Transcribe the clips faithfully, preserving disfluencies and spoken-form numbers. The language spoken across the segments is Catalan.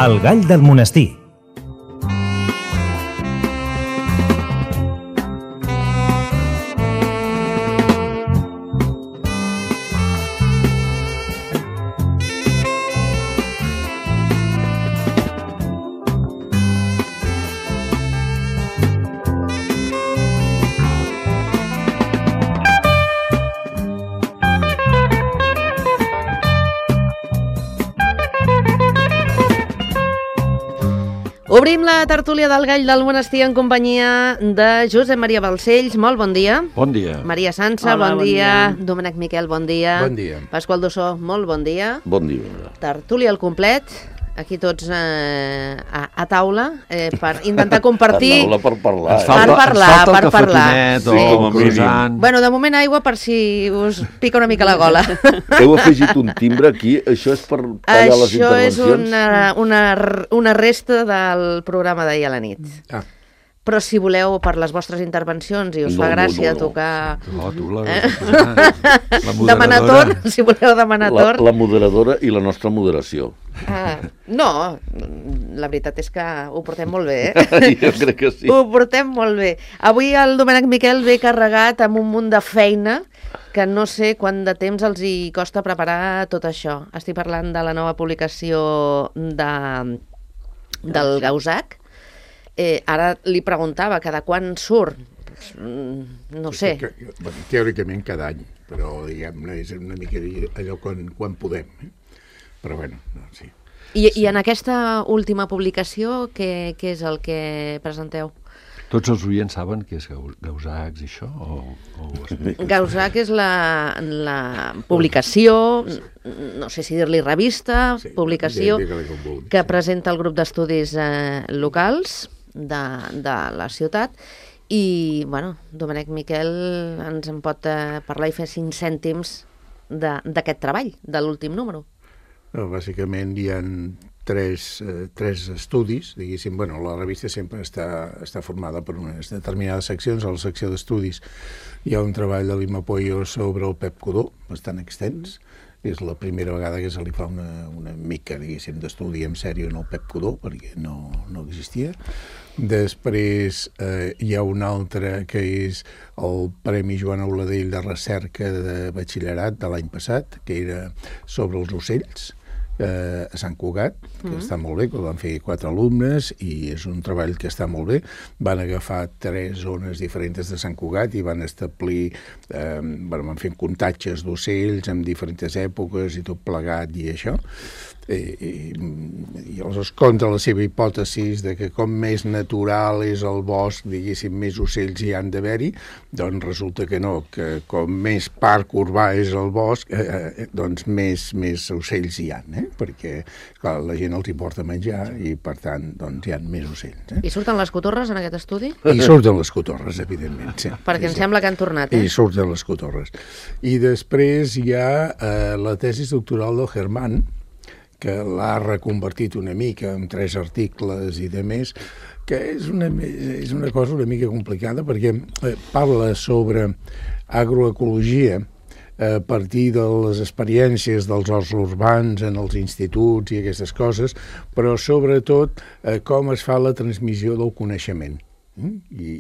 El gall del monestir. Obrim la tertúlia del Gall del Monestir en companyia de Josep Maria Balcells. Molt bon dia. Bon dia. Maria Sansa, Hola, bon, bon dia. dia. Domènec Miquel, bon dia. Bon dia. Pasqual Dossó, molt bon dia. Bon dia. Tertúlia al complet, aquí tots eh, a, a taula, eh, per intentar compartir... A taula per parlar. Ens falta- Per parlar, ens falta per el parlar. cafetinet Sí. o Com el a croissant. Bueno, de moment aigua per si us pica una mica la gola. Heu afegit un timbre aquí, això és per tallar les Això és intervencions? una, una, una resta del programa d'ahir a la nit. Ah. Però si voleu, per les vostres intervencions, i us No, fa no, gràcia no, no. tocar... No, tu la, Eh? la Demanar moderadora. torn, si voleu demanar La, torn. la moderadora i la nostra moderació. Ah, no, la veritat és que ho portem molt bé, eh? Jo crec que sí. Ho portem molt bé. Avui el Domènec Miquel ve carregat amb un munt de feina que no sé quant de temps els hi costa preparar tot això. Estic parlant de la nova publicació de, del Gausac. Eh, ara li preguntava cada quan surt. Pues, mm, no sé. Que, que, bueno, teòricament cada any, però diguem-ne és una mica allò quan, quan podem. Eh? Però bueno, no, sí. I, sí. I en aquesta última publicació, què, què és el que presenteu? Tots els oients saben què és Gausacs i això? O, o ho expliques? Gausac és la, la publicació, no sé si dir-li revista, Sí, publicació, digue-li com vulguis, que sí. presenta el grup d'estudis eh, locals de, de la ciutat. I, bueno, Domènec Miquel ens en pot eh, parlar i fer cinc cèntims d'aquest treball, de l'últim número. No, bàsicament hi ha tres, eh, tres estudis, diguéssim. Bueno, la revista sempre està, està formada per unes determinades seccions. A la secció d'estudis hi ha un treball de l'Imma Pueyo sobre el Pep Codó, bastant extens. És la primera vegada que se li fa una, una mica, diguéssim, d'estudi en sèrio en el Pep Codó, perquè no, no existia. Després eh, hi ha un altre que és el Premi Joan Auladell de Recerca de Batxillerat de l'any passat, que era sobre els ocells, eh, a Sant Cugat, que mm. està molt bé, que el van fer quatre alumnes i és un treball que està molt bé. Van agafar tres zones diferents de Sant Cugat i van establir, eh, bueno, van fer comptatges d'ocells en diferents èpoques i tot plegat i això. I, i, i aleshores contra la seva hipòtesi de que com més natural és el bosc, diguéssim, més ocells hi han d'haver-hi, doncs resulta que no, que com més parc urbà és el bosc, eh, eh, doncs més, més ocells hi ha, eh? Perquè clar, la gent els hi porta a menjar i per tant doncs hi ha més ocells. Eh? I surten les cotorres en aquest estudi? I surten les cotorres, evidentment. Sí. Perquè sí, em sí. sembla que han tornat, eh? I surten les cotorres. I després hi ha eh, la tesi doctoral del Germán, que l'ha reconvertit una mica en tres articles i de més, que és una, és una cosa una mica complicada perquè eh, parla sobre agroecologia a partir de les experiències dels horts urbans en els instituts i aquestes coses, però sobretot eh, com es fa la transmissió del coneixement. I,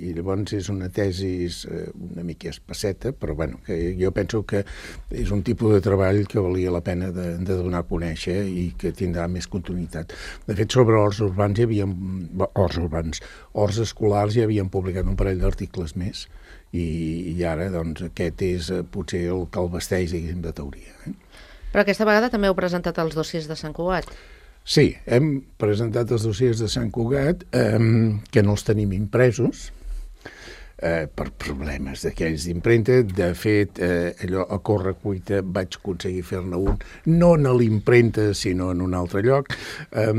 i llavors és una tesi eh, una mica espasseta, però bueno, que jo penso que és un tipus de treball que valia la pena de, de donar a conèixer i que tindrà més continuïtat. De fet, sobre horts urbans hi havia horts urbans, horts escolars hi havien publicat un parell d'articles més i, i ara doncs aquest és eh, potser el que el vesteix, diguéssim, de teoria. Eh? Però aquesta vegada també heu presentat els dossiers de Sant Cugat. Sí, hem presentat els dossiers de Sant Cugat, eh, que no els tenim impresos, eh, per problemes d'aquells d'impremta. De fet, eh, allò a corre cuita vaig aconseguir fer-ne un, no en l'impremta, sinó en un altre lloc. Eh,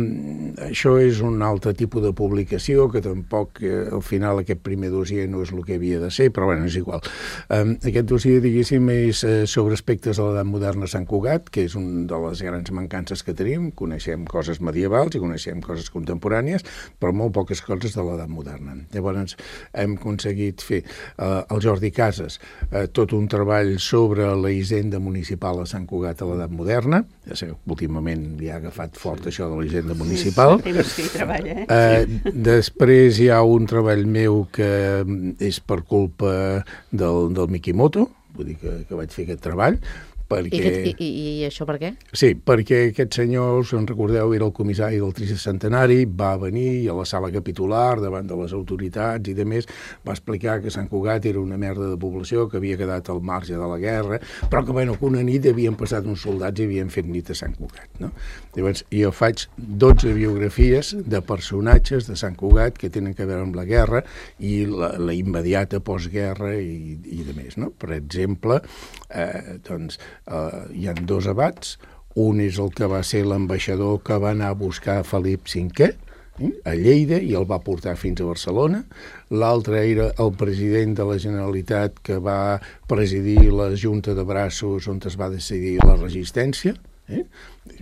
això és un altre tipus de publicació, que tampoc, eh, al final, aquest primer dossier no és el que havia de ser, però bueno, és igual. Eh, aquest dossier, diguéssim, és eh, sobre aspectes de l'edat moderna a Sant Cugat, que és una de les grans mancances que tenim. Coneixem coses medievals i coneixem coses contemporànies, però molt poques coses de l'edat moderna. Llavors, hem aconseguit aconseguit fer eh, el Jordi Casas eh, tot un treball sobre la hisenda municipal a Sant Cugat a l'edat moderna. Ja sabeu, últimament li ha agafat fort això de la hisenda municipal. Sí, temps que hi treballa, eh? Eh, després hi ha un treball meu que és per culpa del, del Mikimoto, vull dir que, que vaig fer aquest treball, perquè... I, i, I això per què? Sí, perquè aquest senyor, si en recordeu, era el comissari del tricentenari, va venir a la sala capitular davant de les autoritats i de més, va explicar que Sant Cugat era una merda de població, que havia quedat al marge de la guerra, però que, bueno, que una nit havien passat uns soldats i havien fet nit a Sant Cugat, no? Llavors, jo faig dotze biografies de personatges de Sant Cugat que tenen a veure amb la guerra i la, la immediata postguerra i, i de més, no? Per exemple, eh, doncs, Uh, hi ha dos abats, un és el que va ser l'ambaixador que va anar a buscar Felip cinquè eh, a Lleida i el va portar fins a Barcelona, l'altre era el president de la Generalitat que va presidir la Junta de Braços on es va decidir la resistència, eh?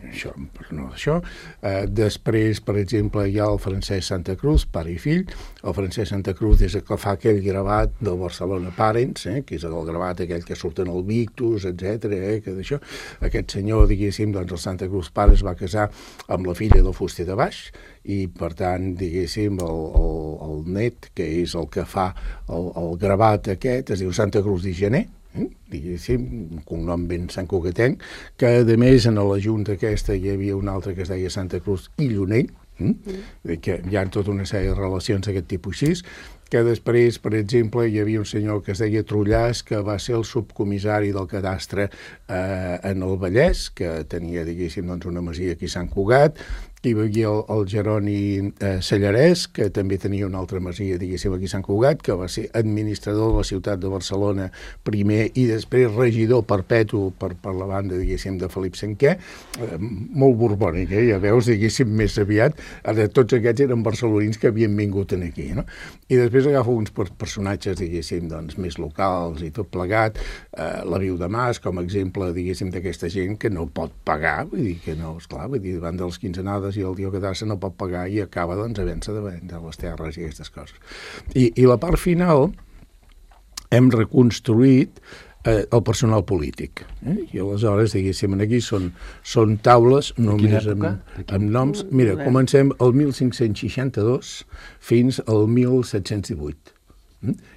Això, no això. Uh, després, per exemple, hi ha el Francesc Santa Cruz, pare i fill. El Francesc Santa Cruz és el que fa aquell gravat del Barcelona Parents, eh? Que és el gravat aquell que surten al Victus, etcètera. Eh? Que d'això. Aquest senyor, diguéssim, doncs el Santa Cruz pare es va casar amb la filla del fuster de baix i, per tant, diguéssim, el, el, el net, que és el que fa el, el gravat aquest, es diu Santa Cruz de Gener, eh? diguéssim, un cognom ben santcugatenc, que a més en la junta aquesta hi havia un altre que es deia Santa Cruz i Llunell, eh? mm. que hi ha tota una sèrie de relacions d'aquest tipus així, que després, per exemple, hi havia un senyor que es deia Trullàs, que va ser el subcomissari del cadastre eh, en el Vallès, que tenia, diguéssim, doncs, una masia aquí a Sant Cugat. Hi havia el, el Jeroni eh, Sallarès, que també tenia una altra masia, diguéssim, aquí a Sant Cugat, que va ser administrador de la ciutat de Barcelona primer i després regidor perpetu per, per la banda, diguéssim, de Felip cinquè. Eh, molt borbònic, eh? Ja veus, diguéssim, més aviat. Ara, tots aquests eren barcelonins que havien vingut aquí, no? I després agafo uns personatges, diguéssim, doncs, més locals i tot plegat. Eh, la Viu de Mas, com a exemple, diguéssim, d'aquesta gent que no pot pagar, vull dir que no, esclar, vull dir, davant de les quinzenades i el dia que d'assa no pot pagar i acaba, doncs, havent-se de vendre les terres i aquestes coses. I, i la part final hem reconstruït eh, el personal polític. Eh? I aleshores, diguéssim, aquí són, són taules només amb, amb noms. Mira, comencem el mil cinc-cents seixanta-dos fins al mil set-cents divuit.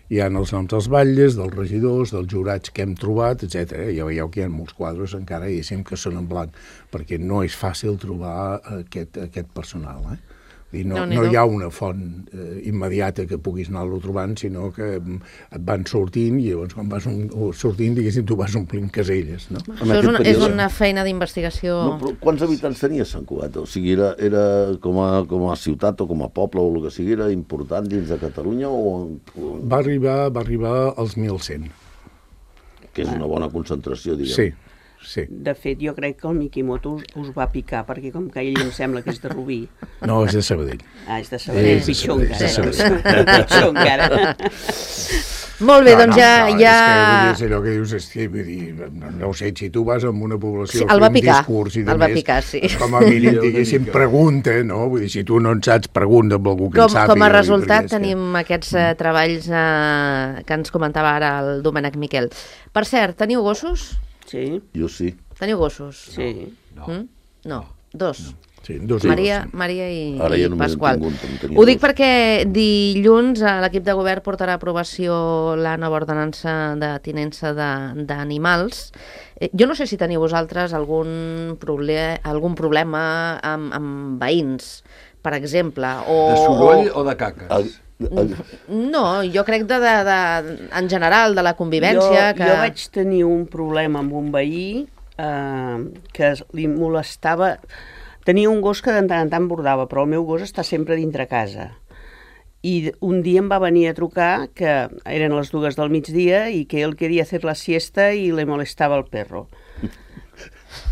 Hi ha els noms dels batlles, dels regidors, dels jurats que hem trobat, etcètera. Ja veieu que hi ha molts quadres encara, diguéssim, que són en blanc, perquè no és fàcil trobar aquest, aquest personal, eh? I no, no, no hi ha una font eh, immediata que puguis anar-lo trobant, sinó que et van sortint i llavors quan vas un, sortint, diguéssim, tu vas omplint caselles, no? Això és una, és una feina d'investigació... No, però quants habitants tenia Sant Cugat? O sigui, era, era com, a, com a ciutat o com a poble o el que sigui, era important dins de Catalunya o... Va arribar, va arribar als mil cent. Que és una bona concentració, diguem. Sí. Sí. De fet, jo crec que el Mikimoto us, us va picar, perquè com que ell em sembla que és de Rubí. No, és de Sabadell. Ah, és de Sabadell, és pitjor encara. Pitjor encara. Molt bé, no, doncs no, ja... No, ja... és que vull dir, és allò que dius, és que, vull dir, no ho sé, si tu vas amb una població sí, el va fent picar, discurs i de el va més, picar, sí. com a mínim, diguéssim, pregunta, no? Vull dir, si tu no en saps, pregunta amb algú que com, en sàpiga. Com a resultat perquè, tenim que... aquests uh, treballs uh, que ens comentava ara el Domènec Miquel. Per cert, teniu gossos? Sí. Jo sí. Teniu gossos? Sí. No. Mm? No, dos. No. Sí, dos Maria, dos. Maria i, Ara i ja Pasqual. Tingut, Ho dic perquè dilluns l'equip de govern portarà a aprovació la nova ordenança de tinença d'animals. Jo no sé si teniu vosaltres algun, proble algun problema amb, amb veïns, per exemple. O, de soroll o de caques? El... No, jo crec de, de, de, en general de la convivència. Jo, que... jo vaig tenir un problema amb un veí eh, que li molestava... Tenia un gos que de tant en tant bordava, però el meu gos està sempre dintre casa. I un dia em va venir a trucar que eren les dues del migdia i que ell queria fer la siesta i le molestava el perro.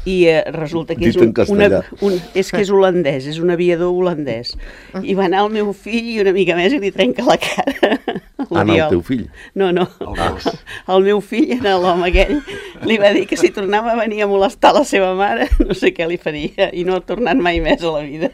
I eh, resulta que és un, una, un, és que és holandès, és un aviador holandès. I va anar el meu fill i una mica més i li trenca la cara. Anna, el teu fill? No, no. El, el meu fill, l'home aquell, li va dir que si tornava a venir a molestar la seva mare, no sé què li faria, i no ha tornat mai més a la vida.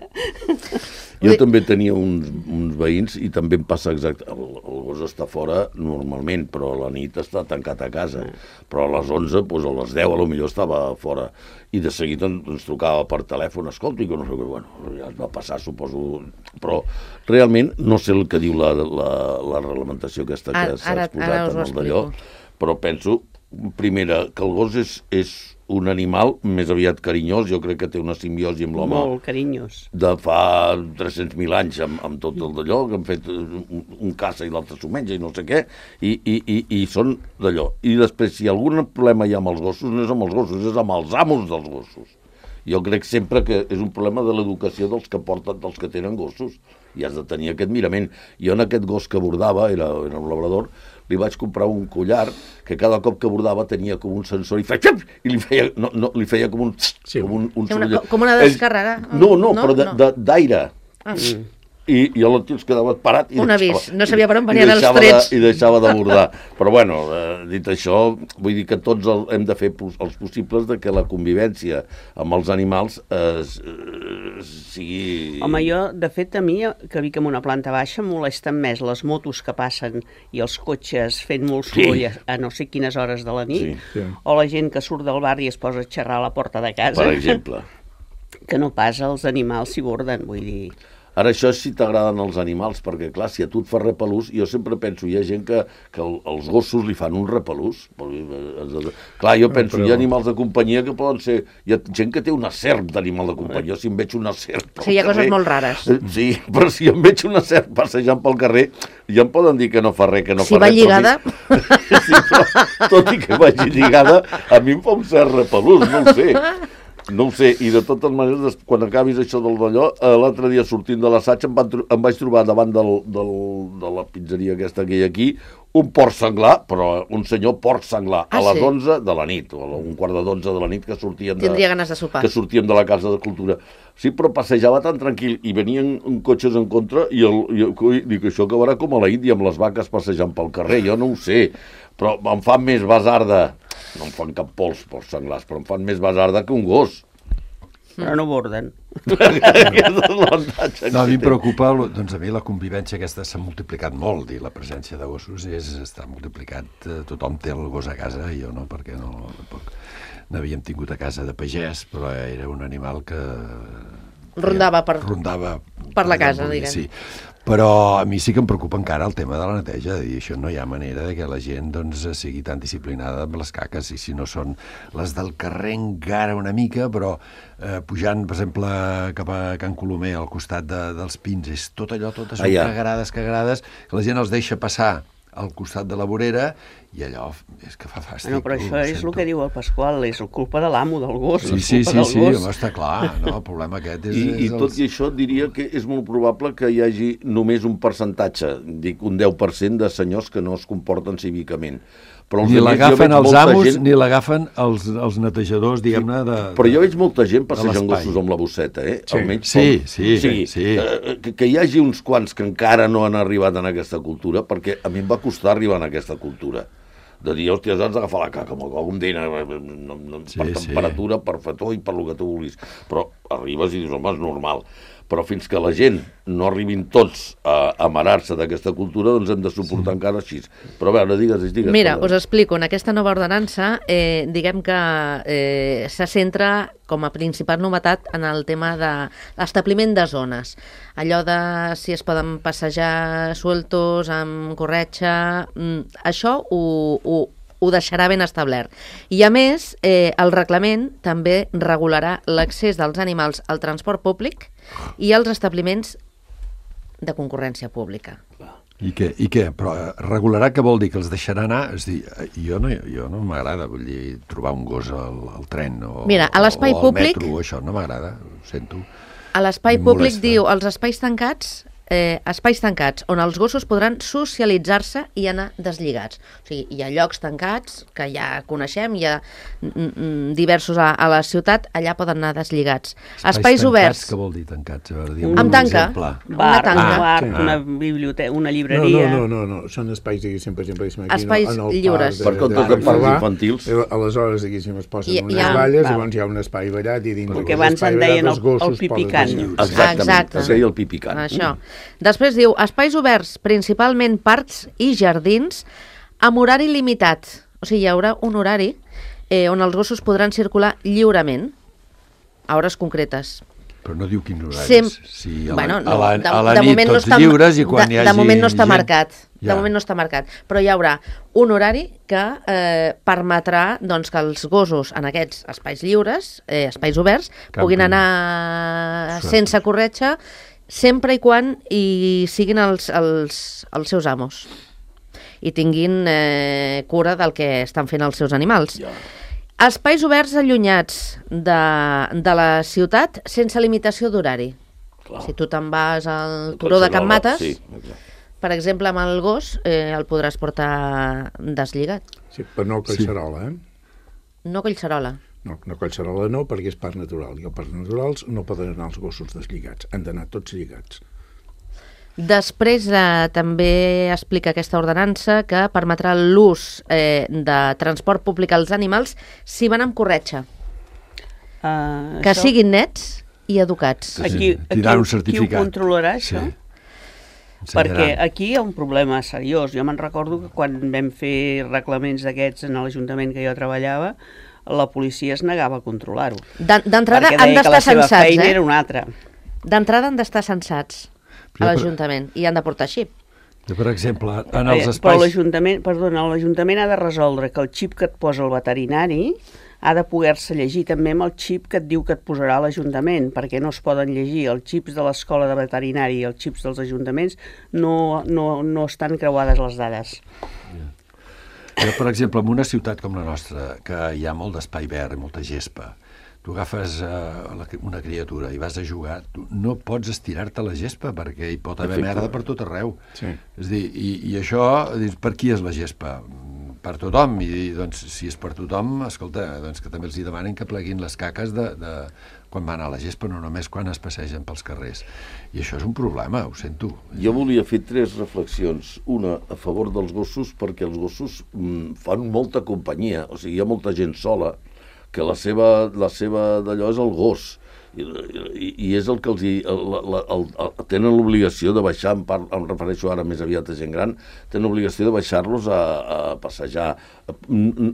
Jo també tenia uns, uns veïns i també em passa exacte. El, el gos està fora normalment, però a la nit està tancat a casa. Però a les onze, doncs a les deu, a lo millor estava fora. I de seguida ens trucava per telèfon, escolta, i que no sé què, bueno, ja es va passar, suposo. Però realment no sé el que diu la, la, la reglamentació aquesta que s'ha exposat en el d'allò, però penso, primera, que el gos és, és un animal més aviat carinyós, jo crec que té una simbiosi amb l'home. Molt carinyós. De fa tres-cents mil anys, amb, amb tot el d'allò, que han fet un, un caça i l'altre s'ho menja i no sé què, i, i, i, i són d'allò. I després, si algun problema hi ha amb els gossos, no és amb els gossos, és amb els amos dels gossos. Jo crec sempre que és un problema de l'educació dels que porten, dels que tenen gossos, i has de tenir aquest mirament. Jo en aquest gos que bordava, era, era un labrador, li vaig comprar un collar que cada cop que bordava tenia com un sensor i feia, i li feia, no, no, li feia com un... Sí, com un, un sí, una, com una descàrrega? No, no, no, però d'aire. Ah. Mm. I, i el tio es quedava parat i un deixava, avís, no sabia per on venien els trets. De, I deixava de bordar. Però bueno, eh, dit això, vull dir que tots el, hem de fer pos, els possibles de que la convivència amb els animals eh, sigui... Home, jo, de fet, a mi, que vic en una planta baixa, em molesten més les motos que passen i els cotxes fent molt soroll sí. a no sé quines hores de la nit, sí, sí. o la gent que surt del barri i es posa a xerrar a la porta de casa. Per exemple. Que no pas els animals s'hi borden, vull dir... Ara, això és si t'agraden els animals, perquè, clar, si a tu et fa repelús, jo sempre penso, hi ha gent que, que el, els gossos li fan un repelús. Clar, jo penso, però... hi ha animals de companyia que poden ser... Hi ha gent que té una serp d'animal de companyia. Si em veig una serp sí, hi ha coses molt rares. Sí, però si em veig una serp passejant pel carrer, ja em poden dir que no fa res, que no si fa res. Si va lligada... Però... sí, però, tot i que vagi lligada, a mi em fa un cert repelús, no ho sé. No ho sé, i de totes maneres, quan acabis això del d'allò, l'altre dia sortint de l'assaig em, em vaig trobar davant del, del, de la pizzeria aquesta que hi ha aquí, un porc senglar, però un senyor porc senglar, ah, a les sí? onze de la nit, o a un quart de dotze de la nit que sortíem de, Tindria ganes de sopar. Que sortíem de la Casa de Cultura. Sí, però passejava tan tranquil, i venien cotxes en contra, i, el, i el, dic, això acabarà com a la Índia, amb les vaques passejant pel carrer, jo no ho sé, però em fan més basarda. No em fan cap pols, porcs senglars, però em fan més basarda que un gos. Però no borden. No, a mi em preocupa, doncs a mi la convivència aquesta s'ha multiplicat molt i la presència de gossos és, està multiplicat. Tothom té el gos a casa, jo no, perquè no, tampoc n'havíem tingut a casa de pagès, però era un animal que... Rondava per, rondava per la casa, diguem. Sí. Però a mi sí que em preocupa encara el tema de la neteja, de dir, això no hi ha manera de que la gent doncs, sigui tan disciplinada amb les caques, i si no són les del carrer encara una mica, però eh, pujant, per exemple, cap a Can Colomer, al costat de, dels Pins, és tot allò, totes són ah, ja. cagarades, cagarades, que la gent els deixa passar al costat de la vorera, i allò és que fa fàstic. No, però això és el que diu el Pasqual, és culpa de l'amo del gos. Sí, sí, sí, sí, home, està clar, no? El problema aquest és... I, és i tot els... i això diria que és molt probable que hi hagi només un percentatge, dic un deu per cent de senyors que no es comporten cívicament. Però ni l'agafen els amos, gent... ni l'agafen els, els netejadors, diguem-ne, de... Però jo veig molta gent passejant gossos amb la bosseta, eh? Sí, almenys sí, com... sí, o sigui, sí. Eh, que, que hi hagi uns quants que encara no han arribat en aquesta cultura, perquè a mi em va costar arribar en aquesta cultura. De dir, hòstia, has d'agafar la caca, com dina, no, no, sí, per temperatura, sí. per fató i per lo que tu vulguis. Però arribes i dius, home, és normal. Però fins que la gent no arribin tots a amarar-se d'aquesta cultura, doncs hem de suportar sí. encara així. Però a veure, digues, digues. Mira, us explico. En aquesta nova ordenança, eh, diguem que eh, se centra com a principal novetat en el tema de l'establiment de zones. Allò de si es poden passejar sueltos, amb corretja... Això ho... ho ho deixarà ben establert. I a més, eh, el reglament també regularà l'accés dels animals al transport públic i als establiments de concurrència pública. I què? I què? Però regularà què vol dir? Que els deixarà anar? És dir, jo no, jo no m'agrada, vull dir, trobar un gos al, al tren o, Mira, a l'espai o al públic, metro, això no m'agrada, ho sento. A l'espai públic diu, els espais tancats eh, espais tancats on els gossos podran socialitzar-se i anar deslligats. O sigui, hi ha llocs tancats que ja coneixem, hi ha mm, diversos a, a la ciutat, allà poden anar deslligats. Espais, espais oberts. Què vol dir tancats? A veure, un, amb tanca. Bar, una tanca. Un bar, sí. una biblioteca, una llibreria... No, no, no, no. Són espais, diguéssim, per exemple, aquí, espais en el lliures. Parc, per comptes de, de parcs infantils. Aleshores, diguéssim, es posen I, unes ha, valles, val. llavors hi ha un espai ballat i dins perquè abans en deien el, el pipicant. Exactament, Exacte. es deia el pipicant. Això. Després diu, espais oberts, principalment parcs i jardins, amb horari limitat. O sigui, hi haurà un horari eh, on els gossos podran circular lliurement a hores concretes. Però no diu quins horaris. Sem... Sí, a la, bueno, no, a la, de, a la de nit moment tots no està, lliures i quan de, hi hagi de moment no està gent... marcat. Ja. De moment no està marcat. Però hi haurà un horari que eh, permetrà doncs, que els gossos en aquests espais lliures, eh, espais oberts, Camping. puguin anar Sueltos. sense corretja sempre i quan hi siguin els, els, els seus amos i tinguin eh, cura del que estan fent els seus animals. Ja. Espais oberts allunyats de, de la ciutat sense limitació d'horari. Si tu te'n vas al turó de Can Mates, sí, exacte. per exemple, amb el gos, eh, el podràs portar deslligat. Sí, però no collserola, eh? No collserola. No, no collserola no, perquè és parc natural. I als parcs naturals no poden anar els gossos deslligats. Han d'anar tots lligats. Després eh, també explica aquesta ordenança que permetrà l'ús eh, de transport públic als animals si van amb corretja. Uh, Que això, siguin nets i educats. Sí, Aquí, tindran un aquí, qui ho certificat. controlarà, això? Sí. Perquè Ensenyaran. aquí hi ha un problema seriós. Jo me'n recordo que quan vam fer reglaments d'aquests en l'Ajuntament que jo treballava, la policia es negava a controlar-ho. D'en- D'entrada Perquè han deia que la d'estar seva censats, feina eh? era una altra. D'entrada han d'estar censats Jo, a per- l'Ajuntament i han de portar xip. Jo, per exemple, en Eh, els Però espais... l'Ajuntament, perdona, l'Ajuntament ha de resoldre que el xip que et posa el veterinari ha de poder-se llegir també amb el xip que et diu que et posarà l'Ajuntament, perquè no es poden llegir els xips de l'escola de veterinari i els xips dels ajuntaments, no, no, no estan creuades les dades. Jo, per exemple, en una ciutat com la nostra, que hi ha molt d'espai verd i molta gespa, tu agafes uh, la, una criatura i vas a jugar, tu no pots estirar-te a la gespa perquè hi pot haver Efecte. merda per tot arreu. Sí. És a dir, i, i això, dius, per qui és la gespa? Per tothom. I doncs, si és per tothom, escolta, doncs que també els hi demanen que pleguin les caques de, de quan van a la gespa, no només quan es passegen pels carrers. I això és un problema, ho sento. Jo volia fer tres reflexions. Una, a favor dels gossos, perquè els gossos mm, fan molta companyia. O sigui, hi ha molta gent sola que la seva, la seva d'allò és el gos. I, i, i és el que els hi, el, el, el, el, tenen l'obligació de baixar, em, par, em refereixo ara més aviat a gent gran, tenen l'obligació de baixar-los a, a passejar.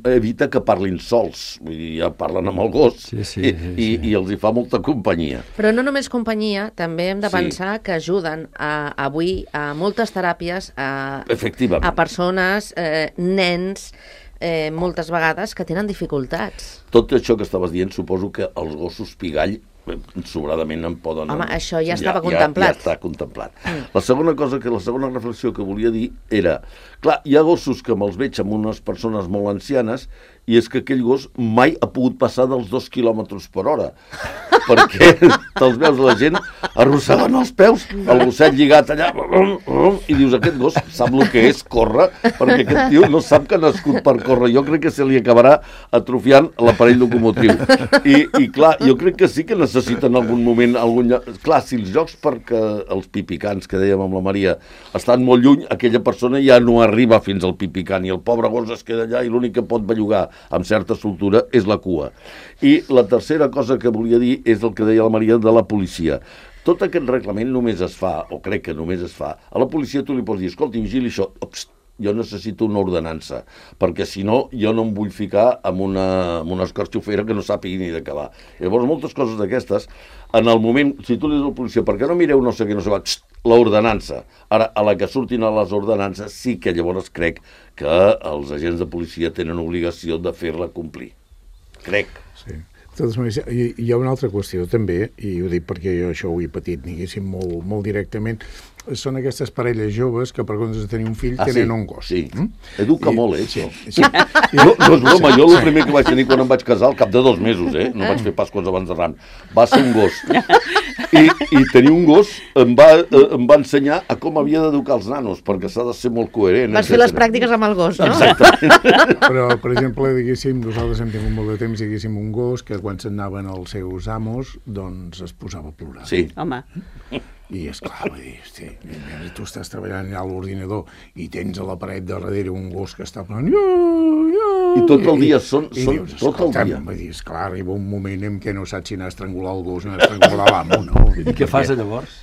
Evita que parlin sols, vull dir, ja parlen amb el gos, Sí, sí, i, sí, i, sí. i els hi fa molta companyia. Però no només companyia, també hem de Sí. pensar que ajuden a, avui a moltes teràpies a, Efectivament. a persones, eh, nens, eh, moltes vegades que tenen dificultats. Tot això que estaves dient, suposo que els gossos pigall eh, sobradament en poden... Home, això ja estava contemplat. Ja, ja està contemplat. Mm. La segona cosa, que la segona reflexió que volia dir era, clar, hi ha gossos que me'ls veig amb unes persones molt ancianes i és que aquell gos mai ha pogut passar dels dos quilòmetres per hora. Perquè te'ls veus la gent arrossegant els peus, el gosset lligat allà, i dius, aquest gos sap el que és córrer, perquè aquest tio no sap que ha nascut per córrer. Jo crec que se li acabarà atrofiant l'aparell locomotriu. I, I clar, jo crec que sí que necessiten en algun moment, algun lloc... Clar, si els jocs perquè els pipicans, que dèiem amb la Maria, estan molt lluny, aquella persona ja no arriba fins al pipicant i el pobre gos es queda allà i l'únic que pot bellugar amb certa soltura és la cua. I la tercera cosa que volia dir és el que deia la Maria de la policia. Tot aquest reglament només es fa, o crec que només es fa, a la policia tu li pots dir, escolti, vigili això, Ops, jo necessito una ordenança, perquè si no, jo no em vull ficar amb una, amb una escarxofera que no sàpigui ni d'acabar. Llavors, moltes coses d'aquestes, en el moment, si tu li dius a la policia, per què no mireu no sé què, no sé què, l'ordenança. Ara, a la que surtin a les ordenances, sí que llavors crec que els agents de policia tenen obligació de fer-la complir. Crec. Sí. De totes maneres, hi, hi ha una altra qüestió també, i ho dic perquè jo això ho he patit, diguéssim, molt, molt directament. són aquestes parelles joves que per comptes de tenir un fill Ah, sí, tenen un gos. sí. Mm? Educa I- molt, eh, sí, això. sí. Jo, no és broma, jo el primer que vaig tenir quan em vaig casar, al cap de dos mesos, eh? No vaig fer pas coses abans de ran. Va ser un gos. I, i tenir un gos em va, eh, em va ensenyar a com havia d'educar els nanos, perquè s'ha de ser molt coherent. Vas fer les etcètera. pràctiques amb el gos, no? Exactament. Però, per exemple, diguéssim, nosaltres hem tingut molt de temps, diguéssim, un gos que quan se'n anaven els seus amos, doncs es posava a plorar. Sí. Home, I, esclar, vull dir, hosti, tu estàs treballant allà a l'ordinador i tens a la paret de darrere un gos que està plorant. I tot el dia, són- I són dius, tot el escolta'm, dia. Vull dir, esclar, arriba un moment en què no saps si anar a estrangular el gos o anar a estrangular l'amo, no? I què fas llavors?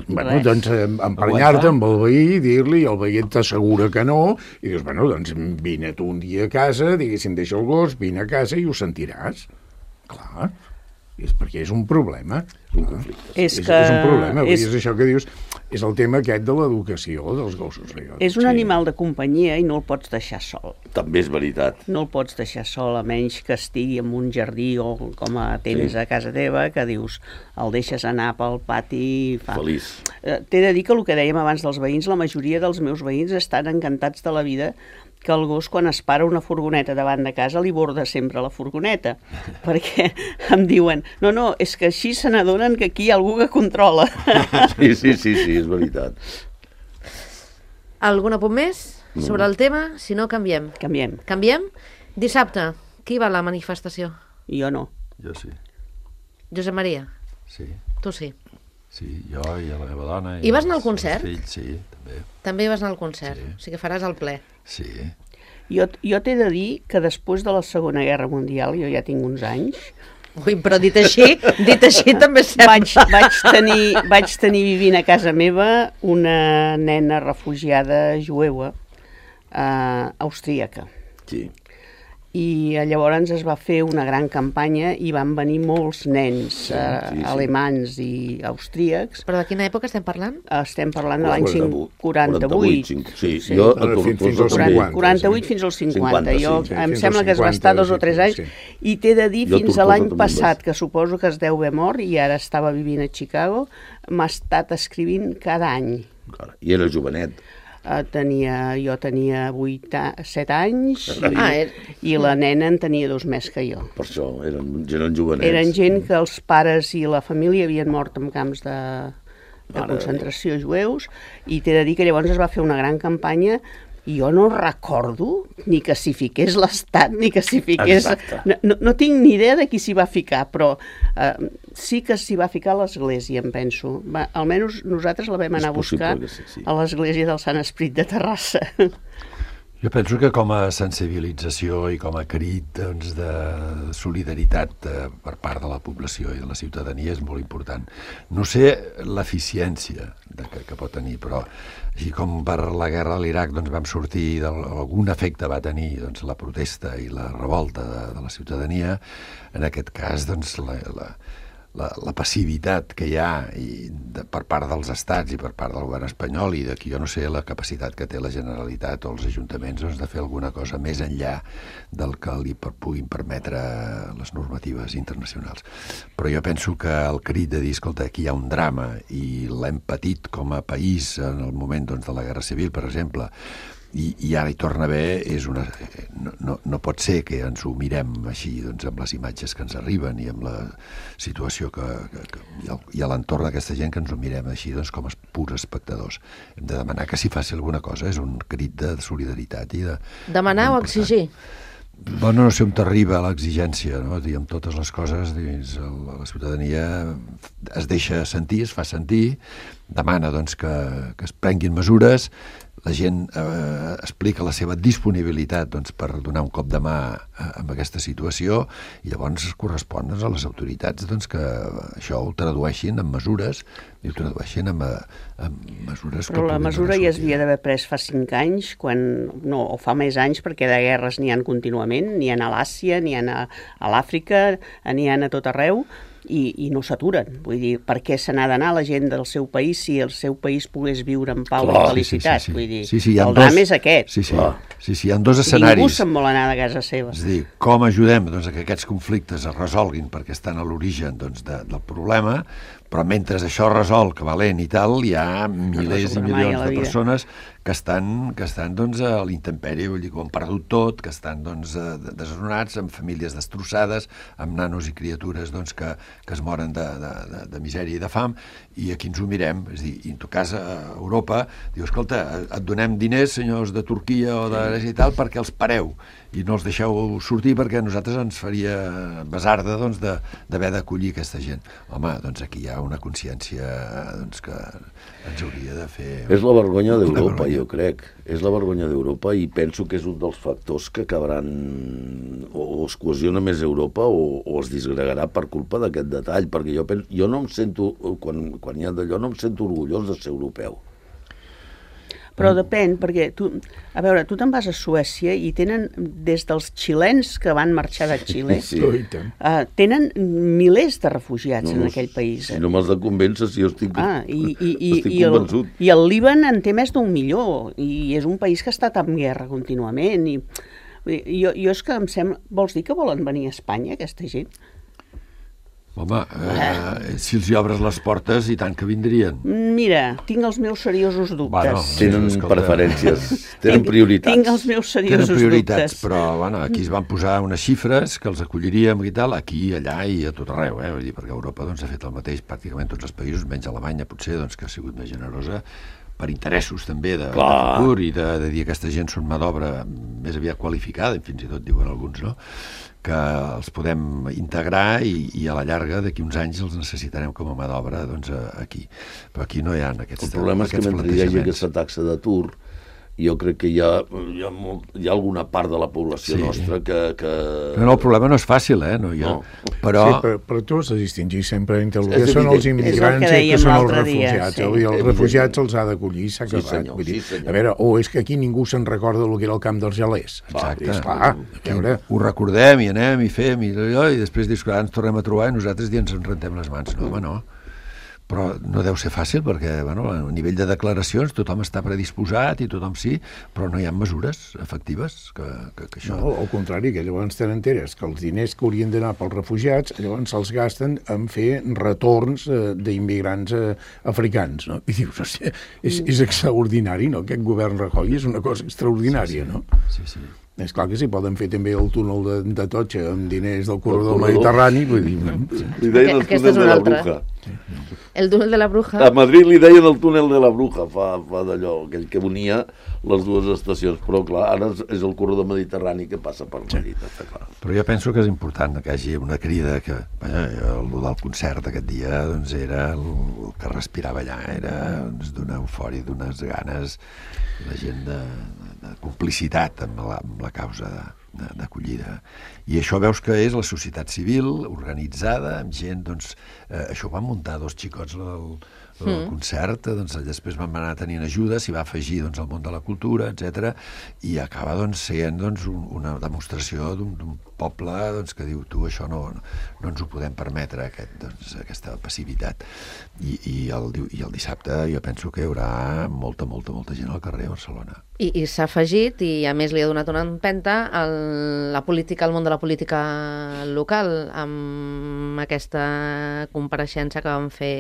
Bueno, doncs eh, emprenyar-te amb el veí, dir-li, el veí t'assegura que no, i dius, bueno, doncs vine tu un dia a casa, diguéssim, deixa el gos, vine a casa i ho sentiràs. Clar, és perquè és un problema. És un conflicte. és És, que... és un problema, vull dir, és, és això que dius, és el tema aquest de l'educació dels gossos. és un animal de companyia i no el pots deixar sol. També és veritat. No el pots deixar sol, a menys que estigui en un jardí o com a tens Sí. a casa teva, que dius, el deixes anar pel pati i fa... Feliç. Eh, T'he de dir que el que dèiem abans dels veïns, la majoria dels meus veïns estan encantats de la vida que el gos, quan es para una furgoneta davant de casa, li borda sempre la furgoneta. Perquè em diuen, no, no, és que així se n'adonen que aquí hi ha algú que controla. Sí, sí, sí, sí, és veritat. Algun apunt més sobre el tema? Si no, canviem. Canviem. Canviem? Dissabte, qui va a la manifestació? Jo no. Jo sí, Josep Maria, sí. tu sí. Sí, jo i la meva dona... I vas els- anar al concert? els Fills, sí, també. També vas anar al concert, Sí. o sigui que faràs el ple. Sí. Jo, jo t'he de dir que després de la Segona Guerra Mundial, jo ja tinc uns anys, Ui, però dit així, dit així també sembla. vaig, vaig, tenir, vaig tenir vivint a casa meva una nena refugiada jueva eh, austríaca. Sí. I llavors es va fer una gran campanya i van venir molts nens Sí, eh, sí, sí. alemans i austríacs. Però de quina època estem parlant? Estem parlant de l'any quaranta-vuit, quaranta-vuit. cinc- Sí, Sí. jo... Ara, fins- fins als també. cinquanta. quaranta-vuit fins als cinquanta. cinquanta, Jo, sí, sí, em fins sembla als que es va estar cinquanta, dos o tres sí, anys. sí. I t'he de dir, Jo a fins a Tortosa l'any també passat, vaig. que suposo que es deu haver mort i ara estava vivint a Chicago, m'ha estat escrivint cada any. Encara. I era jovenet. Uh, tenia, jo tenia vuit a, set anys i, Ah, era- i la nena en tenia dos més que jo. Per això, eren, eren jovenets. Eren gent que els pares i la família havien mort en camps de, de Mare concentració jueus, i t'he de dir que llavors es va fer una gran campanya i jo no recordo ni que s'hi fiqués l'Estat, ni que s'hi fiqués... Exacte. No, no, no tinc ni idea de qui s'hi va ficar, però eh, sí que s'hi va ficar l'Església, em penso. Va, almenys nosaltres la vam És anar a buscar possible que sí, sí. a l'Església del Sant Esprit de Terrassa. Jo penso que com a sensibilització i com a crit doncs, de solidaritat eh, per part de la població i de la ciutadania és molt important. No sé l'eficiència de que, que pot tenir, però així com per la guerra a l'Iraq doncs, vam sortir, algun efecte va tenir doncs, la protesta i la revolta de, de la ciutadania, en aquest cas doncs, la, la, la, la passivitat que hi ha i de, per part dels estats i per part del govern espanyol, i d'aquí jo no sé la capacitat que té la Generalitat o els ajuntaments doncs, de fer alguna cosa més enllà del que li per, puguin permetre les normatives internacionals. Però jo penso que el crit de dir, escolta, aquí hi ha un drama i l'hem patit com a país en el moment doncs, de la Guerra Civil, per exemple, i, i ara hi torna a haver, és una, no, no, no pot ser que ens ho mirem així doncs, amb les imatges que ens arriben i amb la situació que, que, que i, el, i a l'entorn d'aquesta gent, que ens ho mirem així doncs, com a purs espectadors. Hem de demanar que s'hi faci alguna cosa, és un crit de solidaritat i de... Demanar o exigir? Bueno, no sé on t'arriba l'exigència, no? Dir, amb totes les coses, dins el, la ciutadania es deixa sentir, es fa sentir, demana doncs, que, que es prenguin mesures, la gent eh, explica la seva disponibilitat doncs, per donar un cop de mà a, a aquesta situació, i llavors es correspon doncs, a les autoritats doncs, que això ho tradueixin en mesures i ho tradueixin en, en mesures que Però la puguin mesura donar ja sortida. s'havia d'haver pres fa cinc anys, quan, no, o fa més anys, perquè de guerres n'hi han contínuament, n'hi ha a l'Àsia, n'hi ha a, a l'Àfrica, n'hi ha a tot arreu, i, i no s'aturen. Vull dir, per què se n'ha d'anar la gent del seu país si el seu país pogués viure en pau Clar, i felicitat? sí, sí, sí. Vull dir, Sí, sí, hi ha el dos- drama és aquest. Sí, sí, Clar. sí, sí, hi ha dos Ningú escenaris. se'n vol anar de casa seva. És a dir, com ajudem doncs, a que aquests conflictes es resolguin perquè estan a l'origen doncs, de, del problema, però mentre això es resol, que valent i tal, hi ha milers i resoldrà mai a milions la de vida. persones que estan, que estan doncs, a l'intempèrie, vull dir, que ho han perdut tot, que estan doncs, eh, desnonats, amb famílies destrossades, amb nanos i criatures doncs, que, que es moren de, de, de, de misèria i de fam, i aquí ens ho mirem. És a dir, i en tot cas, a Europa, diu, escolta, et donem diners, senyors de Turquia o de Grècia i tal, perquè els pareu i no els deixeu sortir perquè a nosaltres ens faria besarda doncs, de- d'haver d'acollir aquesta gent. Home, doncs aquí hi ha una consciència doncs, que ens hauria de fer... És la vergonya Una d'Europa, vergonya. jo crec. És la vergonya d'Europa i penso que és un dels factors que acabaran o, o es cohesiona més Europa o, o es disgregarà per culpa d'aquest detall, perquè jo, penso, jo no em sento, quan, quan hi ha d'allò, no em sento orgullós de ser europeu. Però depèn, perquè tu, a veure, tu te'n vas a Suècia i tenen, des dels xilens que van marxar de Xile, Sí. Oh, i tant. uh, tenen milers de refugiats en aquell país. Si no m'has de convèncer, si jo estic, Ah, i, i, i, estic i, el, convençut. I el Líban en té més d'un milió, i és un país que ha estat en guerra contínuament. I, vull dir, jo, jo és que em sembla... Vols dir que volen venir a Espanya, aquesta gent? Home, eh, si els hi obres les portes, i tant que vindrien. Mira, tinc els meus seriosos dubtes. Bueno, Tenen Escolta. preferències, tenen Tinc- prioritats. Tinc els meus Tenen seriosos prioritats, dubtes. però bueno, aquí es van posar unes xifres que els acolliríem i tal, aquí, allà i a tot arreu, eh? Vull dir, perquè Europa doncs, ha fet el mateix, pràcticament tots els països, menys Alemanya potser, doncs, que ha sigut més generosa, per interessos també de, de Clar. futur i de, de dir que aquesta gent són mà d'obra més aviat qualificada, i fins i tot diuen alguns, no?, que els podem integrar i, i a la llarga, d'aquí uns anys, els necessitarem com a mà d'obra doncs, aquí. Però aquí no hi ha aquests El problema és que aquests mentre hi hagi plantejaments. aquesta taxa d'atur, jo crec que hi ha, hi ha, molt, hi ha alguna part de la població Sí. nostra que... que... Però no, el problema no és fàcil, eh? No, jo... No. Però... Sí, però, però tu has de distingir sempre entre el És que són evident. els immigrants És el que i el que dèiem són els l'altre dia, refugiats. sí. Vull dir, els Evident. refugiats els ha d'acollir, s'ha Sí, acabat. senyor, Vull dir, sí, senyor. a veure, o és que aquí ningú se'n recorda el que era el camp dels gelers. Exacte. Esclar, a veure... Ho recordem i anem i fem i, allò, i després dius que ara ens tornem a trobar i nosaltres ja ens en rentem les mans. No, home, no. Però no deu ser fàcil perquè, bueno, a nivell de declaracions tothom està predisposat i tothom sí, però no hi ha mesures efectives que, que, que això... No, al contrari, que llavors tenen enteres que els diners que haurien d'anar pels refugiats llavors se'ls gasten en fer retorns eh, d'immigrants eh, africans, no? I dius, hòstia, és, és extraordinari, no? Aquest govern Rajoy és una cosa extraordinària, no? Sí, sí. És clar que si poden fer també el túnel de, de Totxa amb diners del corredor corredor. mediterrani, vull dir... Li deien el Aquesta és túnel de una la altra. Bruja. El túnel de la Bruja... A Madrid li deien el túnel de la Bruja, fa, fa d'allò, aquell que unia les dues estacions. Però, clar, ara és, és el corredor mediterrani que passa per Madrid, està clar. Però jo penso que és important que hi hagi una crida que, vaja, el del concert aquest dia doncs era el, el que respirava allà, era doncs, d'una eufòria, d'unes ganes, la gent de, de complicitat amb la, amb la causa de, de, d'acollida. I això veus que és la societat civil organitzada, amb gent, doncs, eh, això ho van muntar dos xicots del, del concert, doncs després van anar tenint ajuda, s'hi va afegir doncs, el món de la cultura, etcètera, i acaba doncs, sent doncs, un, una demostració d'un, d'un poble doncs, que diu, tu, això no, no ens ho podem permetre, aquest, doncs, aquesta passivitat. I, i, el, I el dissabte jo penso que hi haurà molta, molta, molta gent al carrer a Barcelona. I, i s'ha afegit, i a més li ha donat una empenta, el, la política, el món de la política local, amb aquesta compareixença que van fer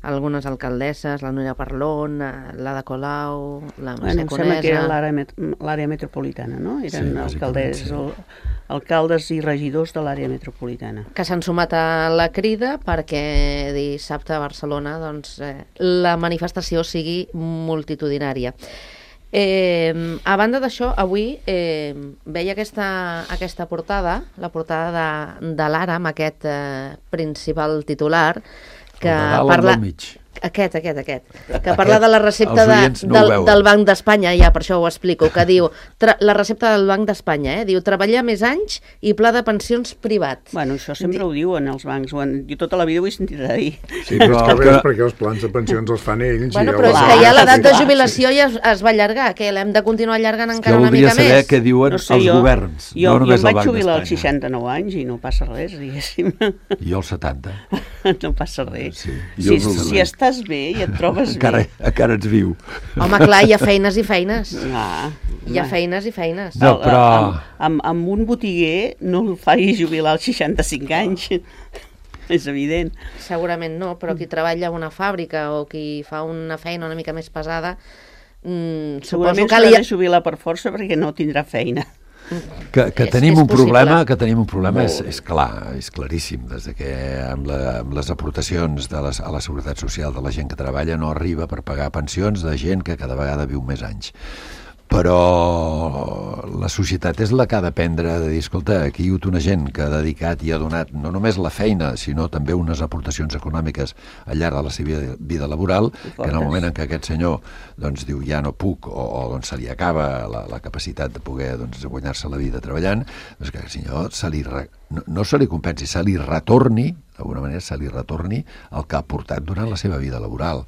algunes alcaldesses, la Núria Parlon, la de Colau, la Mercè Bueno, em sembla que era Conesa... l'àrea met l'àrea metropolitana, no? Eren Sí, alcaldes, bàsicament, el, alcaldes i regidors de l'àrea metropolitana. que s'han sumat a la crida perquè dissabte a Barcelona doncs, eh, la manifestació sigui multitudinària. Eh, a banda d'això, avui eh, veia aquesta, aquesta portada, la portada de, de l'Ara, amb aquest eh, principal titular, que El de dalt, el parla... del mig. Aquest, aquest, aquest, que parla de la recepta els de, oients no ho del, veuen. del Banc d'Espanya, ja per això ho explico, que diu, tra, la recepta del Banc d'Espanya, eh? Diu, treballar més anys i pla de pensions privat. Bueno, això sempre ho diuen els bancs, ho han, jo tota la vida ho he sentit a dir. Sí, però és que, que- és perquè els plans de pensions els fan ells. Bueno, i però és els- que ja l'edat de clar, jubilació ja es, es va allargar, que l'hem de continuar allargant encara Jo una voldria mica saber més. què diuen No sé, els jo, governs, jo, no jo només em el vaig Banc jubilar als d'Espanya. seixanta-nou anys i no passa res, diguéssim. I jo als setanta. No passa res. Sí, si, jo no si estàs bé i et trobes Encara, bé... encara ets viu. Home, clar, hi ha feines i feines. Ah, Hi ha home. feines i feines. No, però... Amb, amb, amb un botiguer no el facis jubilar als seixanta-cinc anys. És evident. Segurament no, però qui treballa a una fàbrica o qui fa una feina una mica més pesada, mm, suposo Segurament que s'ha li... de jubilar per força perquè no tindrà feina. Que, que És- tenim és un problema, possible. que tenim un problema és, Molt bé. és clar, és claríssim, des de que amb, la, amb les aportacions de les, a la Seguretat Social de la gent que treballa no arriba per pagar pensions de gent que cada vegada viu més anys. Però la societat és la que ha d'aprendre de dir, escolta, aquí hi ha hagut una gent que ha dedicat i ha donat no només la feina, sinó també unes aportacions econòmiques al llarg de la seva vida, vida laboral, que en el moment en què aquest senyor doncs, diu ja no puc o, o doncs, se li acaba la, la capacitat de poder doncs, guanyar-se la vida treballant, doncs que el senyor se li re, no, no se li compensi, se li retorni, d'alguna manera se li retorni el que ha aportat durant la seva vida laboral.